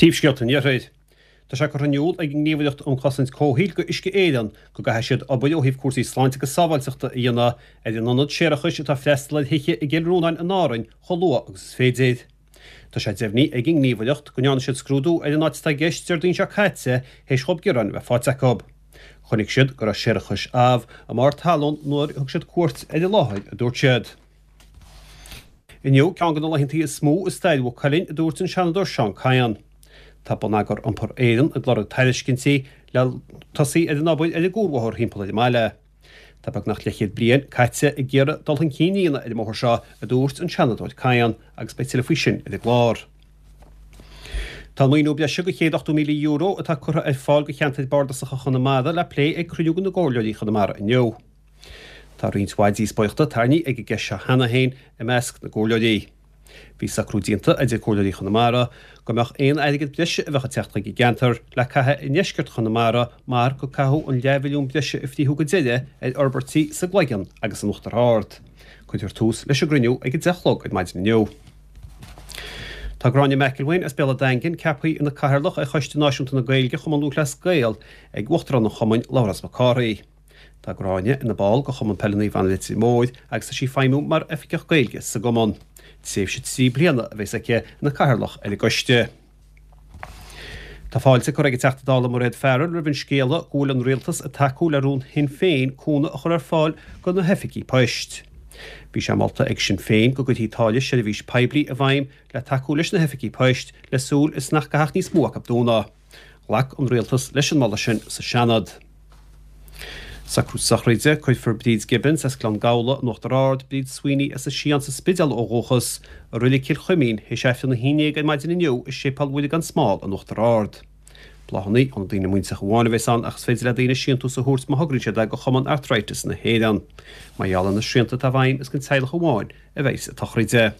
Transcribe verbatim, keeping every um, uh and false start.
Príomhscéalta an Iarthair. Tá sé curtha in iúl ag an nGníomhaireacht um Chosaint Comhshaoil go Uisce Éireann go gcaithfidh siad obair ó thaobh cúrsaí sláinte agus sábháilteachta a dhéanamh ar an ionad séarachais atá ag freastal ar thithe i gCill Rónáin in Árainn chomh luath agus is féidir. Tá sé deimhnithe ag an nGníomhaireacht go ndearna siad scrúdú ar an áit atá i gceist Déardaoin seo caite théis dhóibh gearáin a bheith faighte acu. Chonaic siad go raibh séarachas amh i mbarr talún nuair a thug siad cuairt ar an láthair, a dúirt siad. Inniu ceann de na laethanta is mó i stair Mhaigh Cuilinn, a dúirt an Seanadóir Seán Kyne. Tá Bonneagar Iompair Éireann ag lorg tairiscintí le tosaí ar an obair ar an gcuarbhóthar thimpeall ar an mbaile. Tá beagnach leathchéad bliain caite ag iarraidh dul chun cinn a dhéanamh ar an mbóthar seo, a dúirt an Seanadóir Kyne, agus beidh tuilleadh faoi sin ar an gclár. Tá an maoiniú breise de chéad ochtó míle euro atá curtha ar fáil do cheantair bardasacha Chonamara le plé ag cruinniú de na gcomhairleoirí Chonamara inniu. Tá roinnt mhaith díospóireachta tarraingthe ag an gceist seo cheana féin i measc na gcomhairleoirí. Bhí socrú déanta idir comhairleoirí Chonamara go mbeadh aon airgead breise a bheadh ag teacht chuig an gceantar le caitheamh i ndeisceart Chonamara mar go caitheadh an leathmhilliún breise a frítheadh go deireadh ar fhorbairtí sa gCloigeann agus in Uachtar Ard. Cuirfear tús leis an gcruinniú ag a deich a chlog ar maidin inniu. Tá Gráinne McElwain as Béal an Daingin ceaptha ina Cathaoirleach ar Choiste Náisiúnta na Gaeilge Chumann Lúthchleas Gael ag Uachtarán an Chumainn, Labhrás Mac Cárthaigh. Tá Gráinne ina ball de Chumann Peile Naomh Anna Leitir Móir agus tá sí ag feidhmiú mar Oifigeach Gaeilge sa gcumann. Tréimhse trí bliana a bheas aici ina Cathaoirleach ar an gcoiste. Tá fáilte curtha ag an Teachta Dála Mairéad Farrell roimh an scéala go bhfuil an Rialtas ag tacú le rún Shinn Féin cúnamh a chur ar fáil do na hoifigí poist. Bhí sé molta ag Sinn Féin go gcuirfí táille seirbhís poiblí i bhfeidhm le tacú leis na hoifigí poist le súil is nach gcaithfeadh níos mó acu dúnadh. Ghlac an Rialtas leis an moladh sin sa Seanad. Socrú sochraide, Cuirfear Bríd Gibbons as Gleann Gabhla in Uachtar Ard, Bríd Sweeney as an Sián sa Spidéal ó dhúchas, i Reilig Chill Chuimín, théis Aifreann a haon déag ar maidin inniu i Séipéal Mhuire gan Smál in Uachtar Ard. Bláthanna ó na daoine muinteartha amháin a bheas ann ach is féidir le daoine síntiús a thabhairt má thograíonn siad é do Chumann Arthritis na hÉireann. Mar gheall ar na srianta atá i bhfeidhm is don teaghlach amháin a bheas an tsochraid.